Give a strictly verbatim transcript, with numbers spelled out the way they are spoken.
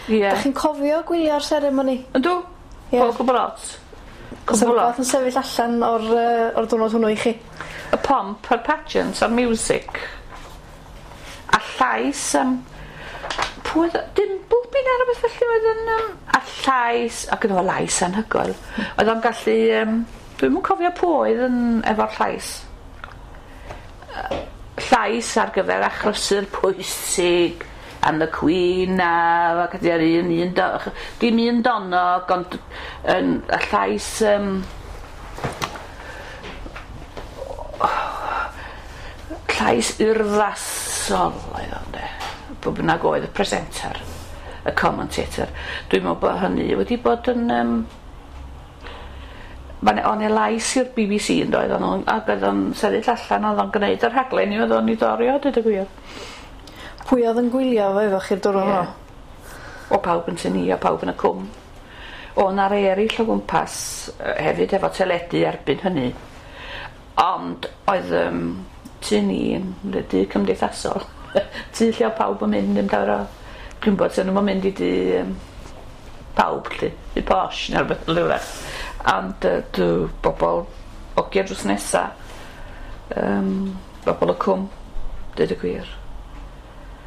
Ie. Dach chi'n cofio gwylio'r seremoni? Yndw. Ie. O gwbwl lot. O's 'na Cwbwl lot. rwbath yn sefyll allan o'r yy o'r diwrnod hwnnw i chi? Y pomp a'r pageant a'r music. A llais yym pwy oedd o? Dimbleby ne' rwbeth felly oedd yn yym a llais ac gynno fo lais anhygoel. Oedd o'n gallu yym dwi'm yn cofio pwy oedd yn efo'r llais. Yy llais ar gyfer achlysur pwysig and the Queen a ac ydi ar un un do- dim un donog ond yn y llais yym llais urddasol oedd o ynde? Pwy bynnag oedd y presenter, y commentator. Dwi'n me'wl bo' hynny wedi bod yn yym ma' 'ne o' 'ne lais i'r Bee Bee See yndoedd o'n nw'n ag oedd o'n sefyll allan o'dd o'n gneud y rhaglen i oedd o'n i dori o deud y gwir. Pwy oedd yn gwylio fo efo chi'r diwrnod Ie. hwnnw? O pawb yn tŷ ni a pawb yn y cwm. O' 'na rei eryll o gwmpas yy hefyd efo teledu erbyn hynny. Ond oedd yym tŷ ni yn le dŷ cymdeithasol. Tŷ lle o'dd pawb yn mynd ddim llawer o dwi'n gwbod swn nw'm yn mynd i dŷ yym pawb 'lly, dŷ posh ne' rwbeth fel yw e. Ond yy dw bobol ogia drws nesa yym bobol y cwm, deud y gwir.